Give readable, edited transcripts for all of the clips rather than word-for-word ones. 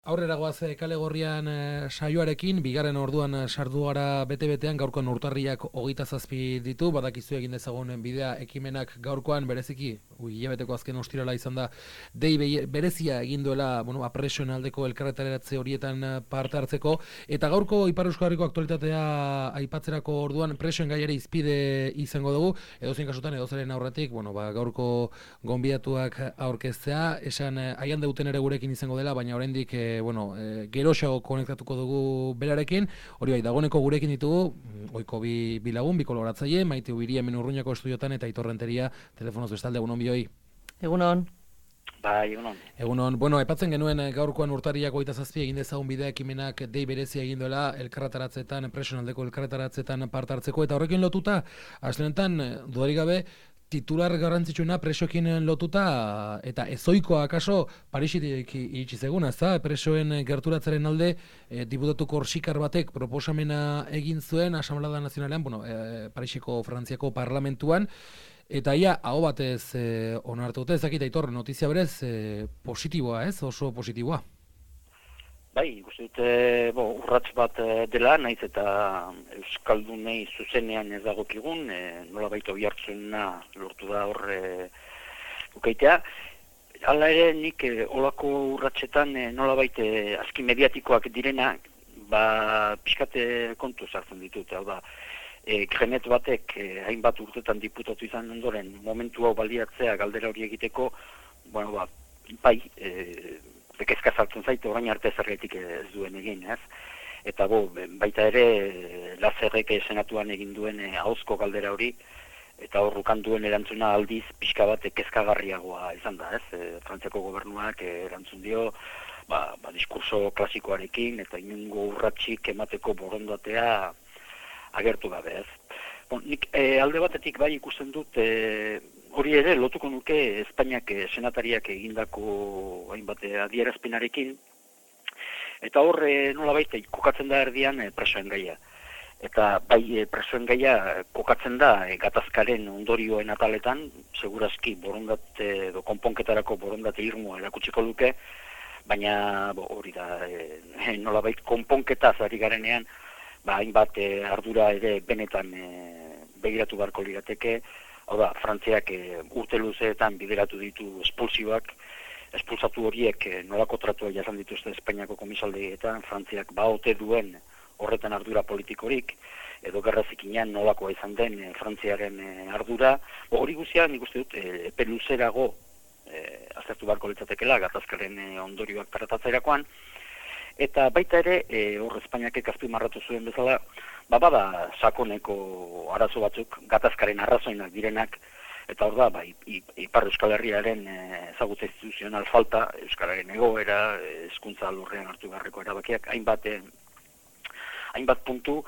aurrera goaz kale gorrian saioarekin, bigarren orduan sardu gara bete-betean, gaurkoan urtarriak 27 ditu, badakizu egin dezagun bidea ekimenak gaurkoan bereziki, hilabeteko azken ostirala izan da, dei berezia egin duela, presioen aldeko elkarretaratze horietan parte hartzeko, eta gaurko Ipar Euskal Herriko aktualitatea aipatzerako orduan presioen gaiari izpide izango dugu, edozein kasutan edozaren aurretik, gaurko gonbidatuak aurkeztea, esan aian deuten ere gurekin izango dela, baina oraindik geroxago konektatuko dugu berarekin, hori bai, dagoeneko gurekin ditugu, oiko bi lagun, bi kolaboratzaile, Maite Ubiria hemen Urruñako estudiotan eta Aitor Renteria telefonoz bestalde, egunon bioi. Egunon. Bai, egunon. Egunon, aipatzen genuen gaurkoan urtarriak 27 egin dezagun bidea ekimenak dei berezia egin duela elkarretaratzetan, presionaldeko elkarretaratzetan parte hartzeko, eta horrekin lotuta, aslenetan, dudarik gabe, titular garrantzitsuena presoekin lotuta, eta ezoikoa akaso Parisitik iritsi zeguna, presoen gerturatzaren alde, diputatu korsikar batek proposamena egin zuen Asamblea Nazionalean, Parisiko Frantziako parlamentuan, eta ia, hau batez onartu dute, ezakita Aitor, notizia berez, positiboa ez, oso positiboa. Bai, ikusten dute, urrats bat dela, naiz eta Euskaldunei zuzenean ez dagokigun, nola baita oihartzuna lortu da horre ukaitea. Hala ere, nik olako urratsetan nola baita azki mediatikoak direna, pixkate kontu sartzen ditut, hau da, Krenet batek hainbat urtetan diputatu izan ondoren, momentu hau baliatzea galdera hori egiteko, kezka sartzen zaite orain arte zergatik ez duen egin, ez? Eta baita ere Lazerrek senatuan egin duen ahozko galdera hori, eta horrukan duen erantzuna aldiz pixka bat kezkagarriagoa izan da, ez? Frantziako gobernuak erantzun dio, diskurso klasikoarekin eta inungo urratsik emateko borondatea agertu gabe, ez? Nik alde batetik bai ikusten dut, hori ere, lotuko nuke Espainiak senatariak egindako hainbat adierazpenarekin, eta hor nolabait kokatzen da erdian presoen gaia. Eta bai presoen gaia kokatzen da gatazkaren ondorioen ataletan, segurazki borondate edo konponketarako borondate irmoa erakutsiko luke, baina hori da nolabait konponketaz ari garenean, hainbat ardura ere benetan begiratu beharko lirateke. Hau da, Frantziak urte luzeetan bideratu ditu espulsioak, espulsatu horiek nolako tratua jasan dituzte Espainiako komisaldegietan, Frantziak ote duen horretan ardura politikorik, edo gerra zikinean nolakoa izan den Frantziaren ardura. Hori guztia nik uste dut epe luzerago aztertu beharko litzatekeela gatazkaren ondorioak tratatzerakoan, eta baita ere, hor Espainiak azpimarratu zuen bezala, bada sakoneko arazo batzuk, gatazkaren arrazoinak direnak, eta hor da, Ipar Euskal Herriaren ezagutza instituzional falta, Euskararen egoera, hezkuntza alorrean hartu beharreko erabakiak, hainbat puntu,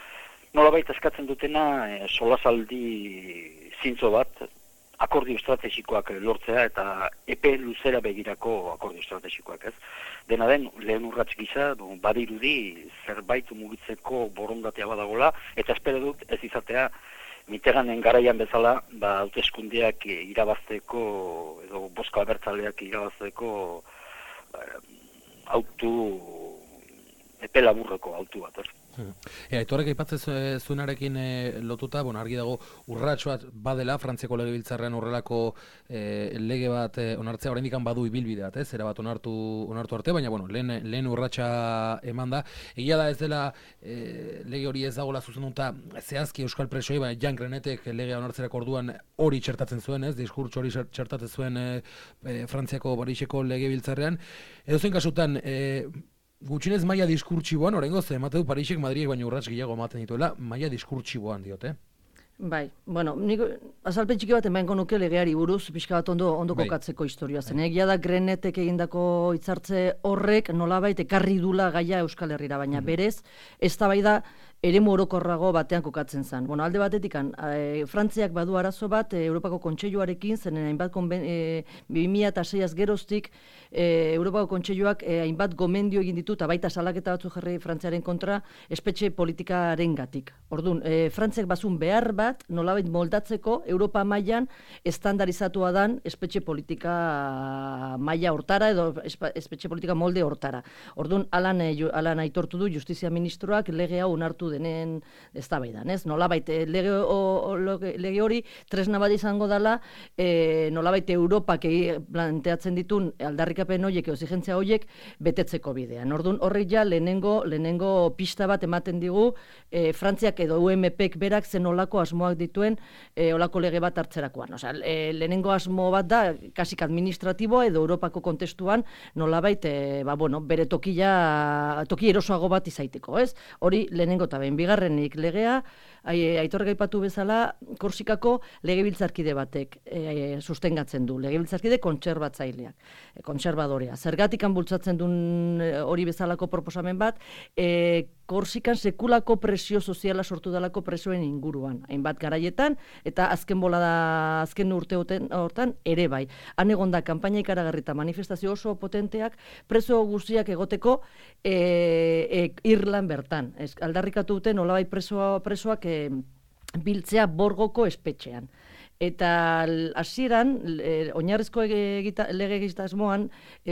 nolabait eskatzen dutena solasaldi zintzo bat, akordio estrategikoak lortzea eta epe luzera begirako akordio estrategikoak, ez? Dena den, lehen urrats gisa, badirudi zerbait mugitzeko borondatea badagola, eta espero dut ez izatea Mitterranden garaian bezala, hauteskundeak irabazteko, edo bozka abertzaleak irabazteko epe laburreko autu bat, ez? Aitorrek aipatzen zuenarekin lotuta, argi dago urrats bat badela, Frantziako legebiltzarrean horrelako lege bat onartzea, oraindik badu ibilbide bat, era bat onartu arte, baina lehen urratsa eman da. Egia da ez dela lege hori ez dagoela zuzenduta zehazki euskal presoei, baina Jan Grenetek legea onartzerako orduan hori txertatzen zuen, diskurtso hori txertatzen zuen Frantziako Pariseko legebiltzarrean. Edozein kasutan, gutxinez maila diskurtsiboan, oraingoz emate du Parisek Madridek baino urrats gehiago ematen dituela, maila diskurtsiboan diote. Bai, nik azalpen txiki bat emango nuke legeari buruz, pixka bat ondo kokatzeko historia zen. Egia da Grenetek egindako hitzartze horrek nolabait ekarri dula gaia Euskal Herrira, baina berez, eztabaida eremu orokorrago batean kokatzen zen. Bueno, alde batetik, Frantziak badu arazo bat Europako Kontseiluarekin, zenen hainbat 2006az geroztik Europako Kontseiluak hainbat gomendio egin ditu, eta baita salaketa batzu jarri Frantziaren kontra, espetxe politikarengatik. Orduan, Frantziak bazun behar bat, nolabait moldatzeko, Europa mailan estandarizatua dan espetxe politika maila hortara, edo espetxe politika molde hortara. Orduan, alan aitortu du Justizia Ministroak lege hau onartu denen eztabaidan, ez? Nolabait, lege hori tresna bat izango dela, nolabait Europak planteatzen ditun aldarrikapen horiek, exigentzia horiek, betetzeko bidean. Orduan, horrek ja lehenengo pista bat ematen digu, Frantziak edo UMPek berak zen olako asmoak dituen olako lege bat hartzerakoan. Osea, lehenengo asmo bat da, kasik administratiboa edo Europako kontestuan, nolabait, bere toki erosoago bat izaiteko, ez? Hori lehenengo eta behin. Bigarrenik legea, Aitorrek aipatu bezala, Korsikako legebiltzarkide batek sustengatzen du, legebiltzarkide kontserbatzaileak, kontserbadorea. Zergatikan bultzatzen duen hori bezalako proposamen bat, Korsikan sekulako presio soziala sortu dalako presoen inguruan, hainbat garaietan, eta azken urte hortan ere bai. Han egonda kanpaina ikaragarri eta manifestazio oso potenteak preso guztiak egoteko Irlan bertan. Aldarrikatu duten nolabait presoak biltzea Borgoko espetxean. Eta hasieran, oinarrizko lege egitasmoan,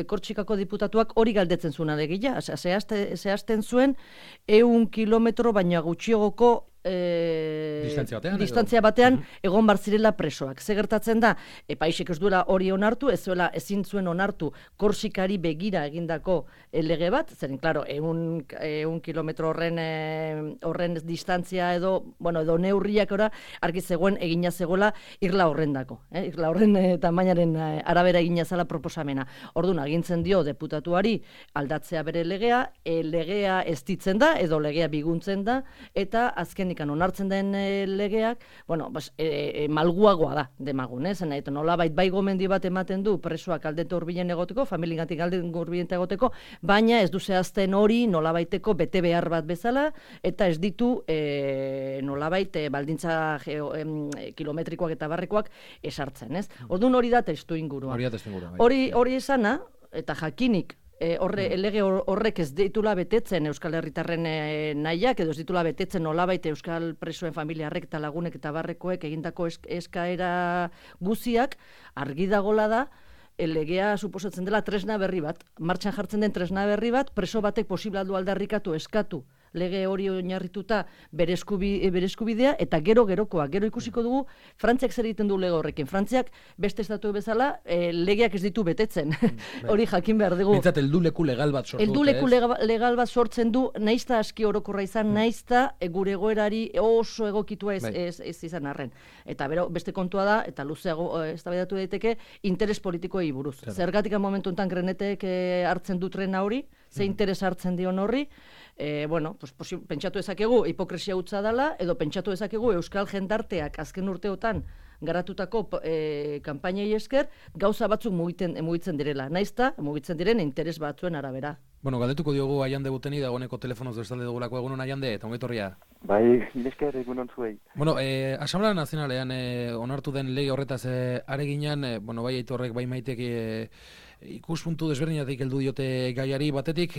Kortsikako diputatuak hori galdetzen zuen alegia. Zehazten zuen 100 kilometro baina gutxiagoko distantzia batean egon barzirela presoak. Ze gertatzen da, paisek ez duela hori onartu, ezin zuen onartu Korsikari begira egindako lege bat, zeren, klaro, 100 kilometro horren distantzia edo neurriak argi zegoen egina zegoela Irla horrendako. Irla horren tamainaren arabera egina zela proposamena. Orduan, agintzen dio deputatuari aldatzea bere legea, legea ez ditzen da, edo legea biguntzen da, eta azkenik onartzen den legeak, malguagoa da demagun, eta nolabait bai gomendi bat ematen du presoak aldete hurbilen egoteko, familiengatik aldete hurbilen egoteko, baina ez du zehazten hori nolabaiteko bete behar bat bezala, eta ez ditu nolabait baldintza kilometrikoak eta barrekoak esartzen, ez? Orduan hori da testu ingurua. Hori esana, eta jakinik, lege horrek ez ditula betetzen Euskal Herritarren nahiak, edo ez ditula betetzen nolabait Euskal presoen familiarrek eta lagunek eta barrekoek egindako eskaera guziak, argi dagola da, legea suposatzen dela tresna berri bat, martxan jartzen den tresna berri bat, preso batek posible aldu aldarrikatu eskatu lege hori oinarrituta bere eskubidea, eta gero ikusiko dugu Frantziak zer egiten du lege horrekin. Frantziak beste estatu bezala legeak ez ditu betetzen. Hori jakin behar dugu. Bintzat, helduleku legal bat sortu. Helduleku legal bat sortzen du, naizta aski orokorra izan, naizta gure egoerari oso egokitua ez izan arren. Eta beste kontua da, eta luzeago eztabaidatu daiteke, interes politikoei buruz. Zergatik momentu enten Grenetek hartzen du trena hori, ze interes hartzen dion horri, pentsatu ezakegu hipokresia hutsa dela, edo pentsatu ezakegu Euskal jendarteak azken urteotan garatutako kanpainei esker gauza batzuk mugitzen direla. Naizta, mugitzen diren interes batzuen arabera. Galdetuko diogu Aiande Buteni, dagoeneko telefonoz bestalde dugulako. Egunon Aiande, eta ongetorria. Bai, nesker egunon zuei. Asamblea Nazionalean onartu den lege horretaz areginan, bai Aitorrek, bai Maitek ikuspuntu desberdinatik heldu diote gaiari batetik,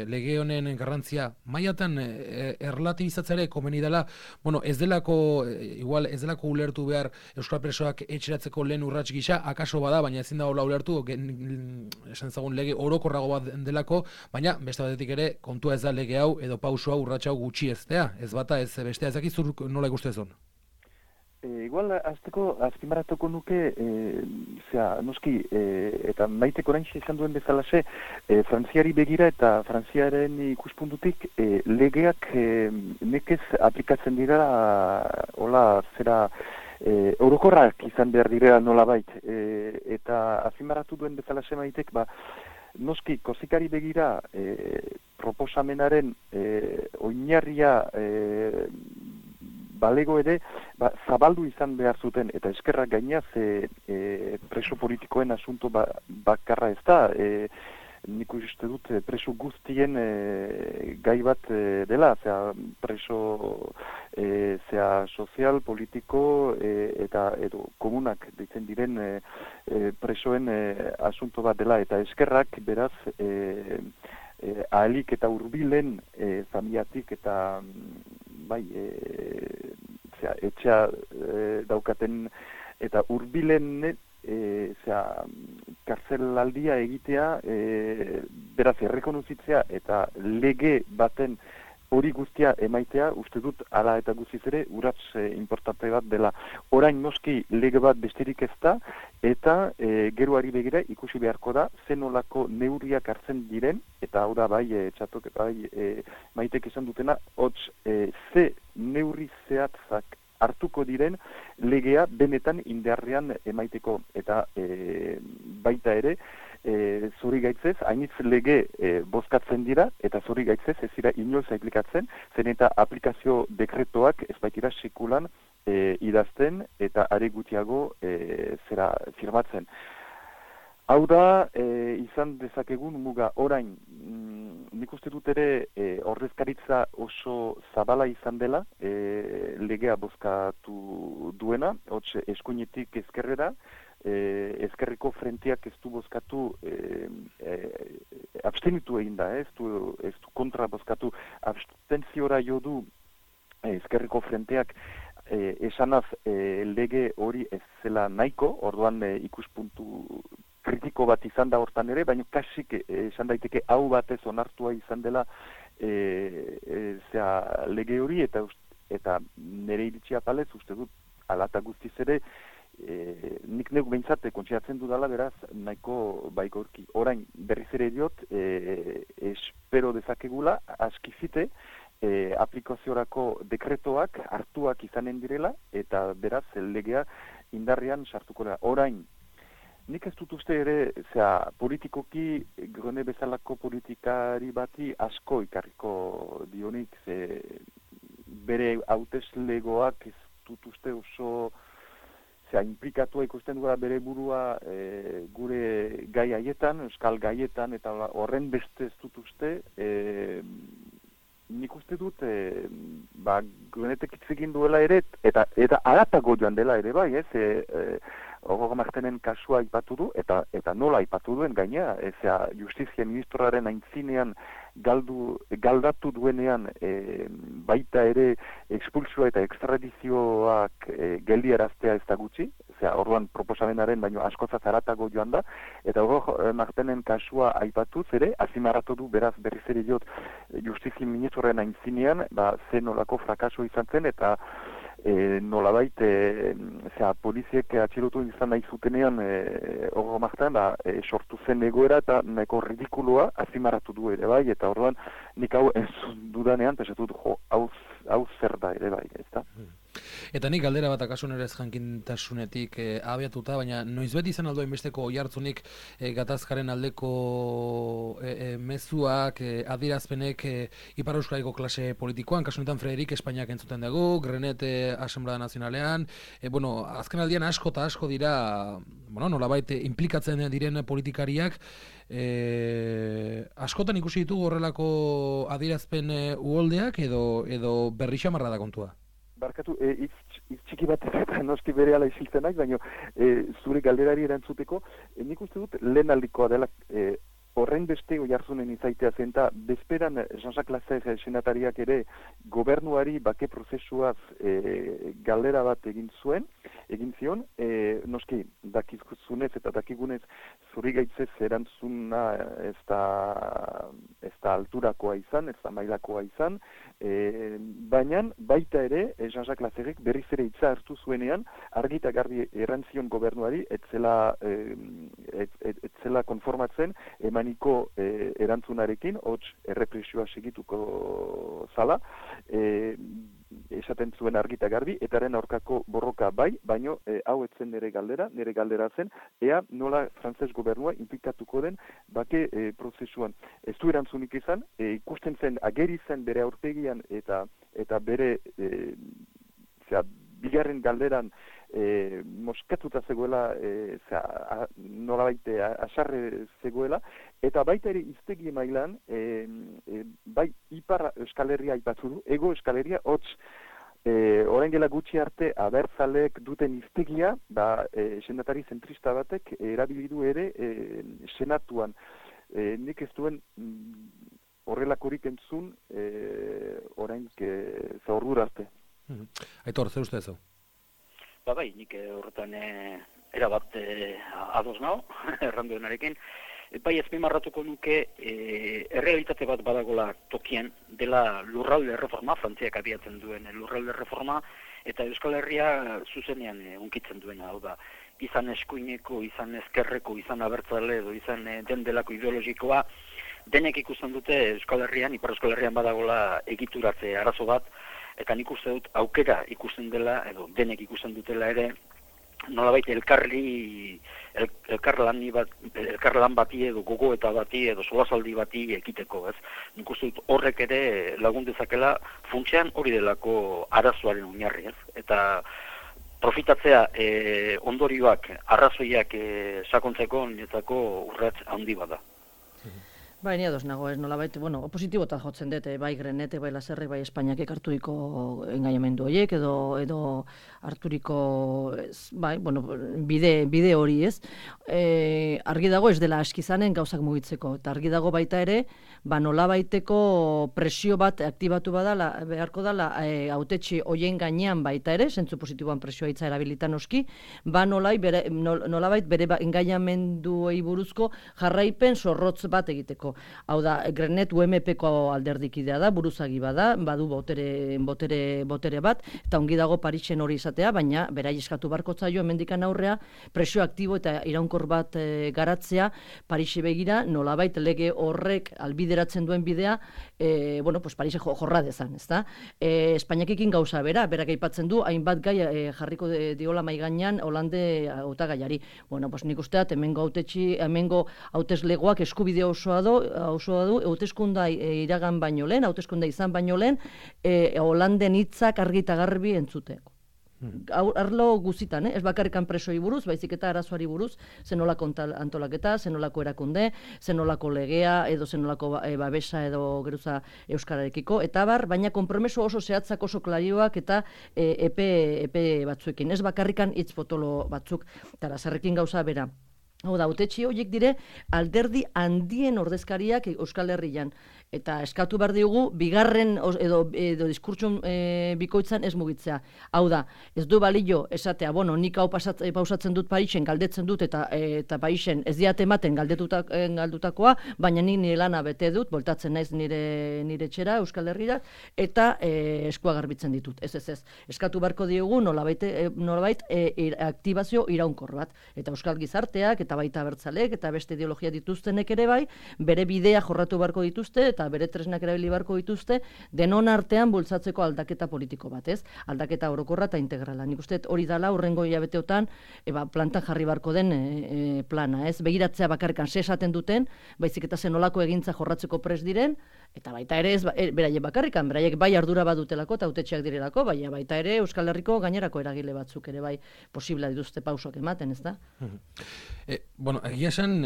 lege honen garrantzia mailatan erlatibizatzea komeni dela, ez delako ulertu behar Euskal presoak etxeratzeko lehen urrats gisa, akaso bada, baina ezin dago ulertu, esan zagun lege orokorrago bat delako, baina beste batetik ere kontua ez da lege hau edo pauso hau urrats hau gutxi eztea, ez bata ez bestea, ez dakizur nola ikustezun? Igual, azpimarratuko nuke, noski, eta Maitek oraintxe esan duen bezalaxe, Frantziari begira eta Frantziaren ikuspuntutik legeak nekez aplikatzen dira, orokorrak izan behar dira nolabait, eta azpimarratu duen bezalaxe Maitek, noski, Korsikari begira proposamenaren oinarria balego ere, zabaldu izan behar zuten, eta eskerrak gainaz preso politikoen asunto bakarra ez da. nik uste dut preso guztien gai bat dela, preso sozial, politiko eta edo komunak ditzen diren presoen asunto bat dela, eta eskerrak beraz ahalik eta hurbilen familiatik eta bai etxea daukaten eta hurbilen kartzelaldia egitea beraz errekonozitzea eta lege baten hori guztia emaitea, uste dut hala eta guztiz ere urrats importante bat dela. Orain noski lege bat besterik ez da, eta geroari begira ikusi beharko da zenolako neurriak hartzen diren, eta hau da bai txatok bai maitek esan dutena, hots ze neurri zehatzak hartuko diren legea benetan indarrean emaiteko, eta baita ere zori gaitzez, hainitz lege bozkatzen dira, eta zori gaitzez ez dira inoiz aplikatzen, zen eta aplikazio dekretoak ez baitira sekulan idazten, eta are gutiago zera firmatzen. Hau da, izan dezakegun muga orain, nik uste dut ere ordezkaritza oso zabala izan dela, legea bozkatu duena, hots eskuinetik ezkerrera, ezkerreko frenteak ez du bozkatu abstenitu egin da, ez du kontra bozkatu, abstentziora jo du ezkerreko frenteak esanaz lege hori ez zela nahiko, orduan ikuspuntu kritiko bat izan da hortan ere, baina kasik esan daiteke hau batez onartua izan dela lege hori, eta nire iritsia palez uste dut alata guztiz ere nik neu behintzat kontxeratzen dudala beraz nahiko baigorki. Orain berriz ere diot espero dezakegula askizite aplikaziorako dekretoak hartuak izanen direla eta beraz legea indarrean sartuko da. Orain nik ez dut uste ere politikoki Grone bezalako politikari bati asko ikarriko dionik, bere hauteslegoak ez dut uste oso inplikatua ikusten duela bere burua gure gai haietan, euskal gaietan, eta horren beste ez dut uste, nik uste dut Gronetek hitz egin duela ere, eta aratago joan dela ere bai, Ogoga Martenen kasua aipatu du, eta nola aipatu duen gaina, justizia ministroaren aintzinean galdatu duenean baita ere expulsioa eta extradizioak geldiaraztea ez da gutxi, orduan proposamenaren baino askozat aratago joan da, eta Ogoga Martenen kasua aipatuz ere, azimarratu du beraz berriz ere jot justizia ministroaren aintzinean, zen nolako frakaso izan zen, eta nolabait poliziek atxilotu izan nahi zutenean Ogoga Marten sortu zen egoera eta nahiko ridikuloa azimarratu du ere bai, eta orduan nik hau entzun dudanean pesatu du hau zer da ere bai, ez da? Eta nik galdera bat akasun ere ez jankintasunetik abiatuta, baina noizbet izan aldo inbesteko oihartzunik gatazkaren aldeko mezuak, adierazpenek Ipar Euskadiko klase politikoan, kasunetan Frederik Espainiak entzuten dugu, Grenet Asamblea Nazionalean, azken aldian asko eta asko dira, nolabait implikatzen diren politikariak, askotan ikusi ditugu horrelako adierazpen uholdeak edo berri xamarra da kontua? Barkatu, txiki bat eta noski bere ala isiltzenak, baina zure galderari erantzuteko, nik uste dut lehen aldikoa dela horren beste oihartzunen izaitea zen, eta bezperan Jean-Jacques Lasserre senatariak ere gobernuari bake prozesuaz galdera bat egin zion, noski dakizunez eta dakigunez zuri gaitzez erantzuna ez da alturakoa izan, ez da mailakoa izan, baina baita ere Jean-Jacques Lasserrek berriz ere hitza hartu zuenean argi eta garbi erantzion gobernuari etzela konformatzen emaniko erantzunarekin, hots errepresioa segituko zala, esaten zuen argi eta garbi, etaren aurkako borroka bai, baino hau etzen nire galdera zen, ea nola frantses gobernua implikatuko den bake prozesuan. Ez du erantzunik izan, ikusten zen ageri zen bere aurpegian eta bere bigarren galderan moskatuta zegoela, nolabait asarre zegoela, eta baita ere hiztegi mailan, bai Ipar Euskal Herria aipatu du, Hego Euskal Herria, hots, orain gela gutxi arte abertzalek duten hiztegia, senatari zentrista batek erabili du ere senatuan. Nik ez duen horrelakorik entzun orain zaurdura arte. Aitor, zer uste zu? Bai, nik horretan erabat ados nao, erranduenarekin. Bai, ezpimarratuko nuke errealitate bat badagola tokian dela lurralde reforma, Frantziak abiatzen duen lurralde reforma, eta Euskal Herria zuzenean unkitzen duena, hau da, izan eskuineko, izan ezkerreko, izan abertzale edo izan den delako ideologikoa, denek ikusten dute Euskal Herrian, Ipar Euskal Herrian badagola egituratze arazo bat, eta nik uste dut aukera ikusten dela, edo denek ikusten dutela ere, nolabait elkarlan bati edo gogoeta bati edo solasaldi bati ekiteko, ez? Nik uste dut horrek ere lagun dezakela funtsean hori delako arazoaren oinarri, ez? Eta profitatzea ondorioak, arrazoiak sakontzeko niretzako urrats handi bada. Bai, ni ados nago, ez nolabait, opositibota jotzen dut, bai Grenete, bai Laserrek, bai Espainiak harturiko engaiamendu horiek, edo harturiko, bide hori, ez? Argi dago ez dela aski izanen gauzak mugitzeko, eta argi dago baita ere, nolabaiteko presio bat aktibatu beharko dala hautetsi hoien gainean baita ere, zentzu positiboan presioa hitza erabilitan oski, nolabait bere engaiamenduei buruzko jarraipen zorrotz bat egiteko. Hau da, Grenet UMP-ko alderdikidea da, buruzagi bada, badu botere bat, eta ongi dago Parisen hori izatea, baina berai eskatu barko zaio hemendikan aurrea, presio aktibo eta iraunkor bat garatzea, Parisi begira, nolabait lege horrek albideratzen duen bidea, Parise jorra dezan, ezta? Espainiakekin gauza bera, berak aipatzen du, hainbat gai jarriko diola maiganean Holande hautagaiari. Nik usteat, hemengo hauteslegoak eskubide osoa du, hauteskunda iragan baino lehen, hauteskunda izan baino lehen, Holanden hitzak argi eta garbi entzuteko. Arlo guzitan, ez bakarrikan presoi buruz, baizik eta arazoari buruz, zenolako antolaketa, zenolako erakunde, zenolako legea, edo zenolako babesa edo geruza euskararekiko, eta baina konpromeso oso zehatzak oso klarioak eta epe batzuekin, ez bakarrikan hitz potolo batzuk, eta Laserrekin gauza bera. Hau da, hautetsi horiek dire alderdi handien ordezkariak Euskal Herrian. Eta eskatu behar diogu, bigarren edo diskurtsun bikoitzan ez mugitzea. Hau da, ez du balio esatea, nik hau pausatzen dut Parisen, galdetzen dut, eta Parisen ez diat ematen galdutakoa, baina nire lana bete dut, boltatzen naiz nire txera Euskal Herrira, eta eskua garbitzen ditut. Ez. Eskatu beharko diogu nolabait aktibazio iraunkor bat. Eta Euskal Gizarteak, eta baita abertzaleek, eta beste ideologia dituztenek ere bai, bere bidea jorratu beharko dituzte, eta bere tresnak erabili beharko dituzte, denon artean bultzatzeko aldaketa politiko bat, ez? Aldaketa orokorra eta integrala. Nik uste hori dala hurrengo hilabeteotan plantan jarri beharko den plana, ez? Begiratzea bakarrikan esaten duten, baizik eta zenolako egintza jorratzeko prest diren, eta baita ere ez beraiek bakarrikan, beraiek bai ardura badutelako eta hautetxeak direlako, baita ere Euskal Herriko gainerako eragile batzuk ere bai posibla dituzte pausoak ematen, ez da? Egia esan,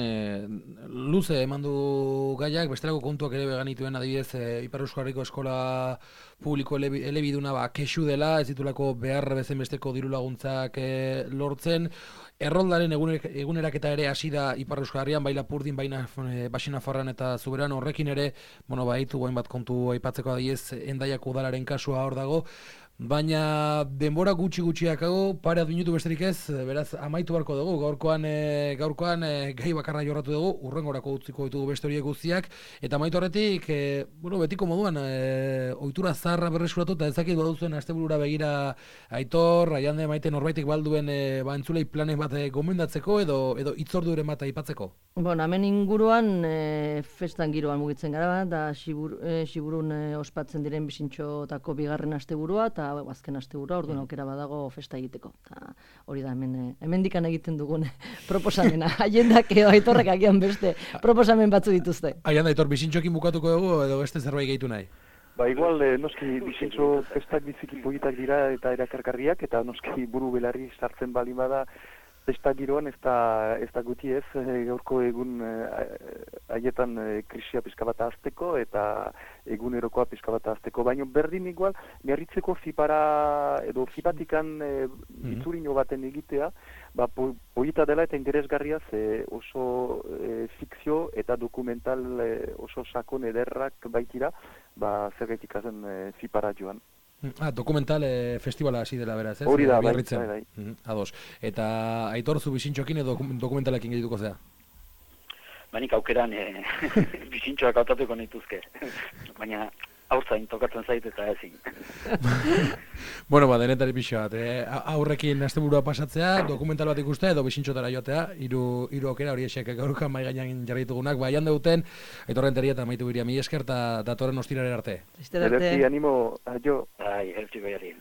luze emandu gaiak, bestelako kontuak ere beganituen adibidez, Ipar Euskal Herriko eskola publiko elebiduna kexu dela, ez ditulako behar bezen besteko diru laguntzak lortzen, erroldaren eguneraketa ere hasi da Ipar Euskal Herrian, bai Lapurdin, bai Baxi-Nafarroan eta Zuberan, horrekin ere, baitu bat kontu aipatzeko adibidez, Hendaiako udalaren kasua hor dago, baina denbora gutxiakago, pare minutu besterik ez, beraz amaitu barko dugu, gaurkoan gai bakarra jorratu dugu, urrengorako utziko ditugu beste horiek guztiak, eta amaitu horretik, betiko moduan, ohitura zaharra berresuratu, eta ezakit baduzuen asteburura begira Aitor, Aiande, Maite norbaitek balduen entzulei planen bat gomendatzeko, edo hitzorduren bat aipatzeko? Hemen inguruan festan giroan mugitzen gara, da Xiburun ospatzen diren bizintxotako bigarren asteburua, eta azken asteburua, orduan aukera badago festa egiteko. Hori da, hemendikan egiten dugun proposamena. Aiendak edo Aitorrek agian beste proposamen batzu dituzte. Aianda, Aitor, bizintxokin bukatuko dugu, edo beste zerbait gehitu nahi? Ba, igual, noski, bizintxo festak biziki politak dira eta erakargarriak, eta noski buru belarri sartzen bali bada, festa giroan ez da guti ez, gaurko egun haietan krisia pizka bat azteko eta egunerokoa pizka bat azteko. Baina berdin igual, miarritzeko zipara edo zipatikan itzurino baten egitea, ba, polita dela eta interesgarria oso fikzio eta dokumental oso sakon ederrak baitira, ba, zergaitik azen zipara joan. Dokumental festivala hasi dela beraz, ez? Hori da, bai. Ados. Eta Aitor, zu bizintxoekin edo dokumentalekin gehituko zea? Banik aukeran bizintxoak hautatuko nituzke. Baina aurzain tokatzen zait eta ezin. Bueno, ba, denetari pixo bat. Aurrekin asteburua pasatzea, dokumental bat ikustea edo bizintxotara joatea, hiru aukera hori esek gaurkan mai gainean jarri ditugunak, ba, jande duten, Aitor Renteria eta Maite Ubiria, mila esker eta datorren ostiralera arte. Arte. Animo, aio. Ai, eltsi goiari.